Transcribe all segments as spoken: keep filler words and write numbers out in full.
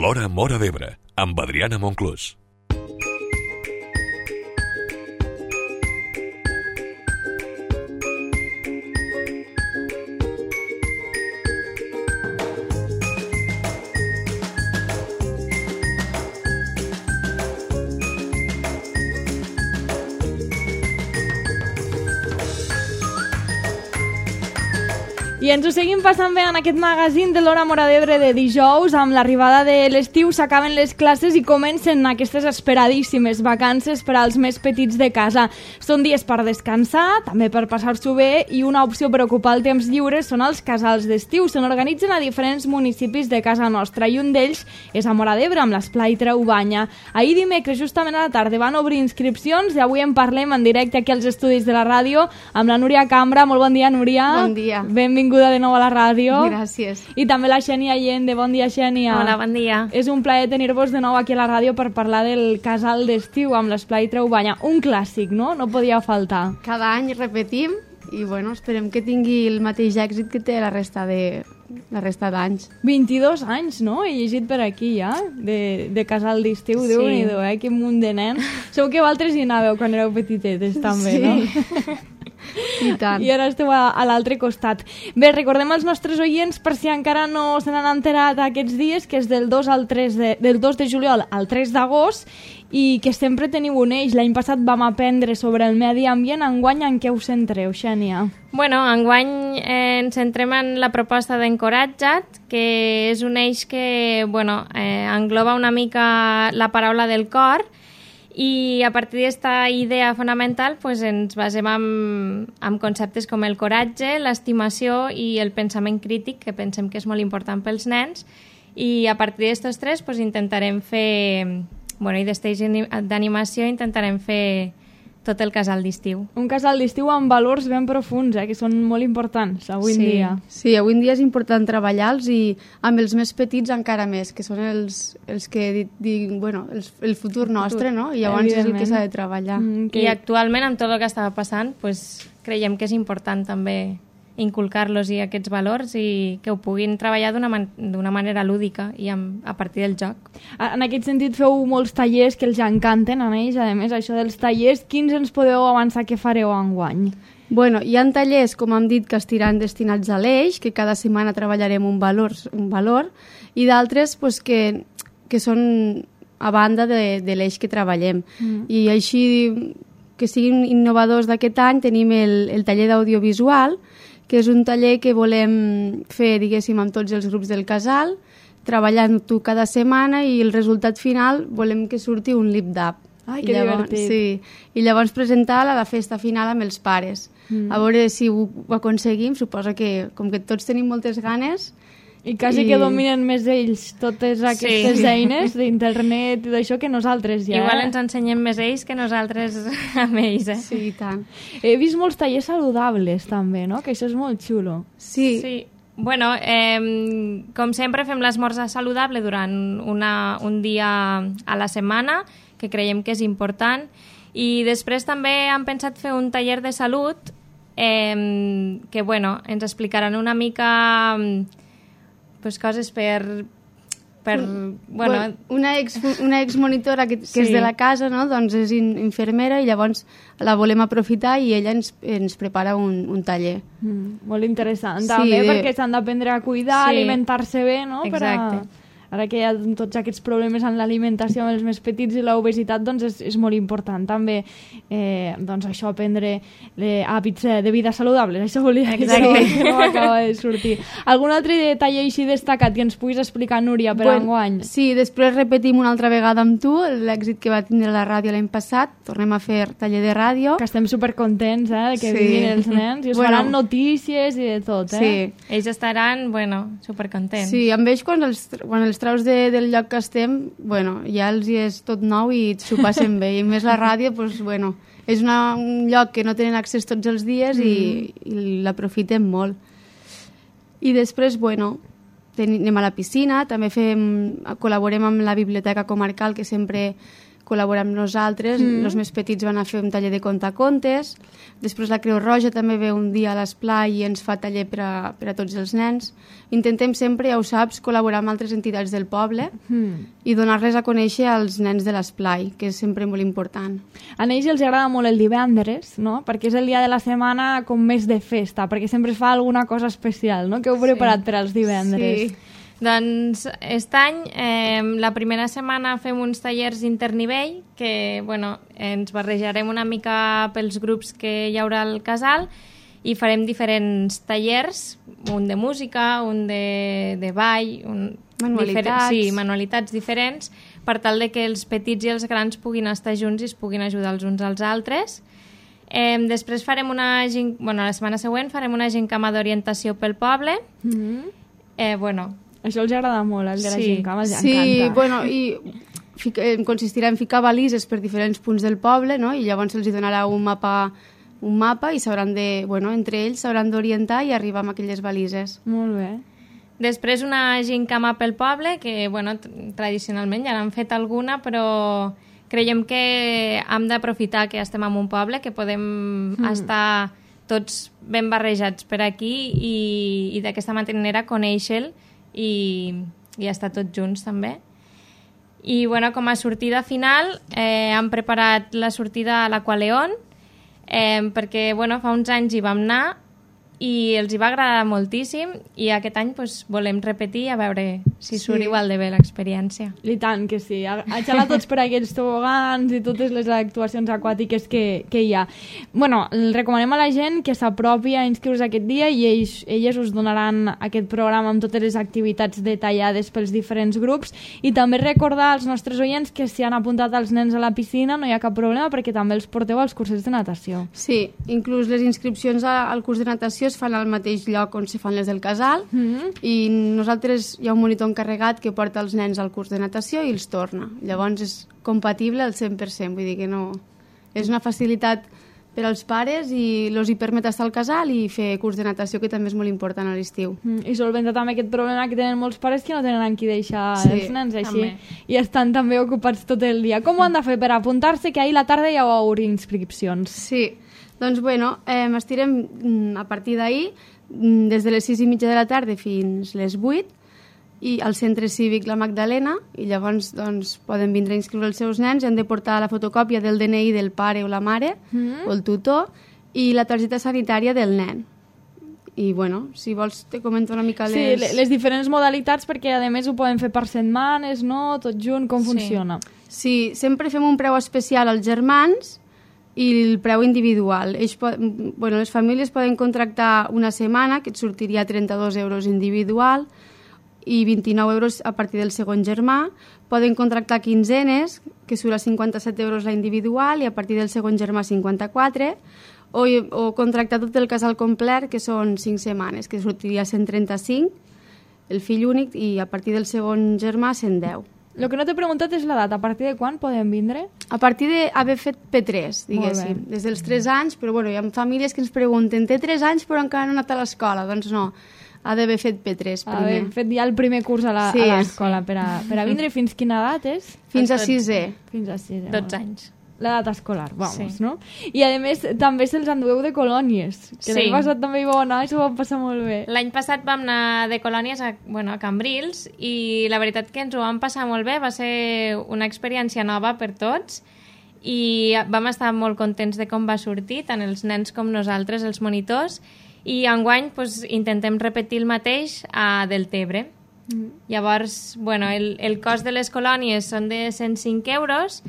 L'Hora Móra d'Ebre, amb Adriana Monclús. I ens ho seguim passant bé en aquest magazín de l'Hora Móra d'Ebre de dijous. Amb l'arribada de l'estiu s'acaben les classes i comencen aquestes esperadíssimes vacances per als més petits de casa. Són dies per descansar, també per passar-s'ho bé, i una opció per ocupar el temps lliure són els casals d'estiu. Se n'organitzen a diferents municipis de casa nostra i un d'ells és a Móra d'Ebre, amb l'Esplai Traubanya. Ahir dimecres, justament a la tarda, van obrir inscripcions i avui en parlem en directe aquí als estudis de la ràdio amb la Núria Cambra. Molt bon dia, Núria. Bon dia. Benvinguda de nou a la ràdio. Gràcies. I també la Xènia Allende. Bon dia, Xènia. Hola, bon dia. És un plaer tenir-vos de nou aquí a la ràdio per parlar del casal d'estiu amb l'Esplai Traubanya. Un clàssic, no? No podia faltar. Cada any repetim i bueno, esperem que tingui el mateix èxit que té la resta de la resta d'anys. vint-i-dos anys, no? He llegit per aquí ja, de, de casal d'estiu. Sí. Déu-n'hi-do, eh? Quin munt de nens. Segur que vosaltres hi anàveu quan éreu petitetes, també, sí. no? I tant. I ara esteu a, a l'altre costat. Bé, recordem als nostres oients, per si encara no se n'han enterat aquests dies, que és del dos al tres de, del dos de juliol al tres d'agost i que sempre teniu un eix. L'any passat vam aprendre sobre el medi ambient. Enguany en què us centreu, Xènia? Bueno, enguany eh, ens centrem en la proposta d'Encoratja't, que és un eix que bueno, eh, engloba una mica la paraula del cor, i a partir d'aquesta idea fonamental pues, ens basem en, en conceptes com el coratge, l'estimació i el pensament crític, que pensem que és molt important pels nens, i a partir d'aquests tres pues, intentarem fer, bueno, i d'esteix d'animació intentarem fer tot el casal d'estiu. Un casal d'estiu amb valors ben profuns, eh, que són molt importants avui sí. en dia. Sí, avui en dia és important treballar-los i amb els més petits encara més, que són els, els que di, di, bueno, el, el futur nostre, no? I llavors és el que s'ha de treballar. Mm, que... I actualment, amb tot el que estava passant, pues, creiem que és important també inculcar-los i aquests valors i que ho puguin treballar d'una man d'una manera lúdica i amb, a partir del joc. En aquest sentit feu molts tallers que els encanten a ells, a més, això dels tallers. Quins ens podeu avançar que fareu enguany? Bueno, hi ha tallers, com hem dit, que estiran destinats a l'eix, que cada setmana treballarem un valor, un valor i d'altres pues, que, que són a banda de, de l'eix que treballem. Mm. I així, que siguin innovadors d'aquest any, tenim el, el taller d'audiovisual, que és un taller que volem fer, diguéssim, amb tots els grups del casal, treballant-ho cada setmana i el resultat final volem que surti un lip-dub. Ai, I que llavors, divertit. Sí, i llavors presentar-la a la festa final amb els pares. Mm. A veure si ho, ho aconseguim, suposo que com que tots tenim moltes ganes... I quasi I... que dominen més ells totes aquestes sí. eines d'internet i d'això que nosaltres ja. Igual ens ensenyem més ells que nosaltres amb ells, eh? Sí, i tant. He vist molts tallers saludables també, no? Que això és molt xulo. Sí. Sí. Bueno, eh, com sempre fem l'esmorzar saludable durant una, un dia a la setmana, que creiem que és important, i després també hem pensat fer un taller de salut eh, que, bueno, ens explicaran una mica... pues, coses per... per Un, bueno, una, ex, una ex monitora que, que sí. és de la casa, no? Doncs és in, infermera i llavors la volem aprofitar i ella ens, ens prepara un, un taller. Mm, molt interessant, Sí, també, de- perquè s'han d'aprendre a cuidar, Sí. alimentar-se bé, no? Exacte. Per a... Ara que hi ha tots aquests problemes en l'alimentació amb els més petits i l'obesitat, doncs és, és molt important també eh, doncs això, aprendre eh, hàbits de vida saludables, això volia dir, Exacte. que no acaba de sortir. Algun altre detall així destacat que ens puguis explicar, Núria, per Bueno, enguany? Sí, després repetim una altra vegada amb tu l'èxit que va tindre la ràdio l'any passat. Tornem a fer taller de ràdio. Que estem supercontents, eh, de que Sí. vinguin els nens i us Bueno. faran notícies i de tot, eh? Sí. ells estaran, bueno, supercontents. Sí, amb ells quan els, quan els traus de, del lloc que estem, bueno, ja els hi és tot nou i s'ho passen bé. I a més la ràdio, pues, bueno, és una, un lloc que no tenen accés tots els dies mm. i, i l'aprofitem molt. I després, bueno, ten, anem a la piscina, també fem, col·laborem amb la biblioteca comarcal, que sempre col·laborar amb nosaltres. Mm. Els més petits van a fer un taller de contacontes. Després la Creu Roja també ve un dia a l'esplai i ens fa taller per a, per a tots els nens. Intentem sempre, ja ho saps, col·laborar amb altres entitats del poble mm. i donar-les a conèixer als nens de l'esplai, que és sempre molt important. A ells els agrada molt el divendres, no? Perquè és el dia de la setmana com més de festa, perquè sempre es fa alguna cosa especial, no? Que heu preparat sí. per als divendres. Sí. Doncs aquest any, eh, la primera setmana fem uns tallers internivell que, bueno, ens barrejarem una mica pels grups que hi haurà al casal i farem diferents tallers, un de música, un de, de ball, un, manualitats. Sí, manualitats diferents, per tal de que els petits i els grans puguin estar junts i es puguin ajudar els uns als altres. Eh, després farem una... Bueno, la setmana següent farem una gincama d'orientació pel poble. Mm-hmm. eh, bueno... Això els agrada molt, el de la sí. gincama, els sí, encanta. Sí, bueno, i fica, consistirà en ficar balises per diferents punts del poble, no? I llavors se'ls donarà un mapa, un mapa i s'hauran de, bueno, entre ells s'hauran d'orientar i arribar amb aquelles balises. Molt bé. Després una gincama pel poble, que, bueno, tradicionalment ja n'han fet alguna, però creiem que hem d'aprofitar que estem en un poble, que podem mm. estar tots ben barrejats per aquí i, i d'aquesta manera conèixer-lo i, i estar tots junts també. I bueno, com a sortida final eh, hem preparat la sortida a l'Aqualeon eh, perquè bueno, fa uns anys hi vam anar i els hi va agradar moltíssim i aquest any pues, volem repetir a veure si surt sí. igual de bé l'experiència. I tant que sí, a, a xalar tots per aquells tobogans i totes les actuacions aquàtiques que, que hi ha. Bueno, recomanem a la gent que s'apropi a inscriure-se aquest dia i ells, elles us donaran aquest programa amb totes les activitats detallades pels diferents grups i també recordar als nostres oients que si han apuntat els nens a la piscina no hi ha cap problema perquè també els porteu als cursos de natació. Sí, inclús les inscripcions al curs de natació es fan al mateix lloc on se fan les del casal mm-hmm. i nosaltres hi ha un monitor encarregat que porta els nens al curs de natació i els torna. Llavors és compatible al cent per cent, vull dir que no... És una facilitat per als pares i els hi permet estar al casal i fer curs de natació, que també és molt important a l'estiu. Mm, I solventar també aquest problema que tenen molts pares que no tenen amb qui deixar sí, els nens així també. I estan també ocupats tot el dia. Com ho han de fer per apuntar-se, que ahir a la tarda ja hi inscripcions? Sí, doncs bueno, eh, estirem a partir d'ahir des de les sis i mitja de la tarda fins les vuit i al centre cívic La Magdalena i llavors doncs, poden vindre a inscriure els seus nens i han de portar la fotocòpia del D N I del pare o la mare mm. o el tutor i la targeta sanitària del nen. I bueno, si vols te comento una mica les... Sí, les diferents modalitats perquè a més ho poden fer per setmanes, no? Tot junt, com sí. funciona? Sí, sempre fem un preu especial als germans i el preu individual. Ells po- bueno, les famílies poden contractar una setmana, que et sortiria trenta-dos euros individual, i vint-i-nou euros a partir del segon germà. Poden contractar quinzenes, que surt a cinquanta-set euros la individual, i a partir del segon germà cinquanta-quatre, o, o contractar tot el casal complet, que són cinc setmanes, que sortiria cent trenta-cinc, el fill únic, i a partir del segon germà cent deu. El que no t'he preguntat és l'edat. A partir de quan poden vindre? A partir d'haver fet P tres, diguéssim. Des dels tres anys, però bueno, hi ha famílies que ens pregunten té tres anys però encara no ha anat a l'escola. Doncs no, ha d'haver fet P tres primer. Haver fet ja el primer curs a sí, l'escola sí. per, a, per a vindre. Fins quina edat és? Fins a sisè. Fins a sisè. dotze anys. L'edat escolar, vamos, sí. no? I a més també se'ls endueu de colònies, que sí. l'any passat també hi vau anar i s'ho vam passar molt bé. L'any passat vam anar de colònies a, bueno, a Cambrils i la veritat que ens ho vam passar molt bé, va ser una experiència nova per tots i vam estar molt contents de com va sortir, tant els nens com nosaltres, els monitors, i enguany pues, intentem repetir el mateix a Deltebre. Mm. Llavors, bueno, el, el cost de les colònies són de cent cinc euros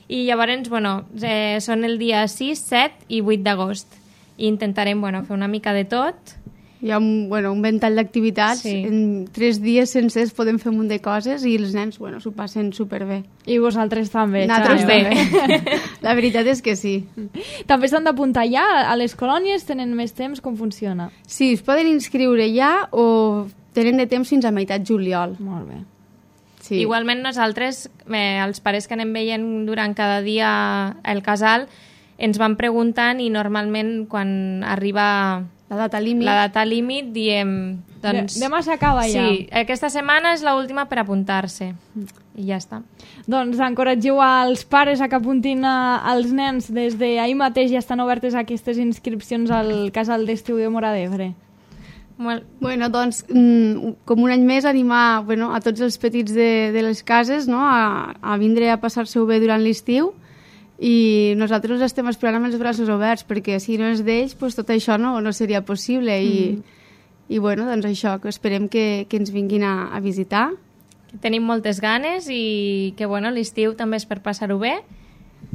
i llavors, bueno, eh, són el dia sis, set i vuit d'agost. I intentarem, bueno, fer una mica de tot. Hi ha un, bueno, un ventall d'activitats. Sí. En tres dies sencers podem fer un munt de coses i els nens, bueno, s'ho passen superbé. I vosaltres també. Nosaltres també. La veritat és que sí. També s'han d'apuntar ja a les colònies? Tenen més temps? Com funciona? Sí, es poden inscriure ja o tenen de temps fins a meitat juliol. Molt bé. Sí. Igualment nosaltres, eh, els pares que anem veient durant cada dia el casal, ens van preguntant i normalment quan arriba La data límit. La data límit, diem... Doncs, Demà s'acaba ja. Sí, aquesta setmana és l'última per apuntar-se. I ja està. Doncs encoratgeu als pares a que apuntin a, als nens. Des d'ahir mateix ja estan obertes aquestes inscripcions al casal d'estiu de Móra d'Ebre. Molt... Bueno, doncs, mm, com un any més, animar bueno, a tots els petits de, de les cases, no?, a, a vindre a passar-se-ho bé durant l'estiu, i nosaltres estem esperant amb els braços oberts, perquè si no és d'ells, pues, tot això no, no seria possible. I, mm. i bueno, doncs això, que esperem que, que ens vinguin a, a visitar. Que tenim moltes ganes i que bueno, l'estiu també és per passar-ho bé,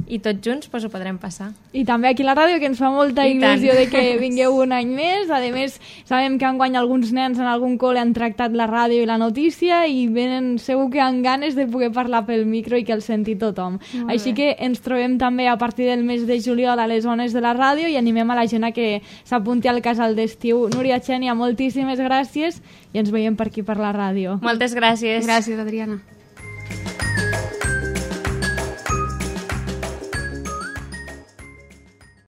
i tots junts pues, ho podrem passar. I també aquí a la ràdio, que ens fa molta I il·lusió tant. de que vingueu un any més. A més, sabem que enguany alguns nens en algun col·le han tractat la ràdio i la notícia i venen segur que han ganes de poder parlar pel micro i que el senti tothom. Molt Així bé. que ens trobem també a partir del mes de juliol a les zones de la ràdio i animem a la gent a que s'apunti al casal d'estiu. Núria, Xènia, moltíssimes gràcies i ens veiem per aquí per la ràdio. Moltes gràcies. Gràcies, Adriana.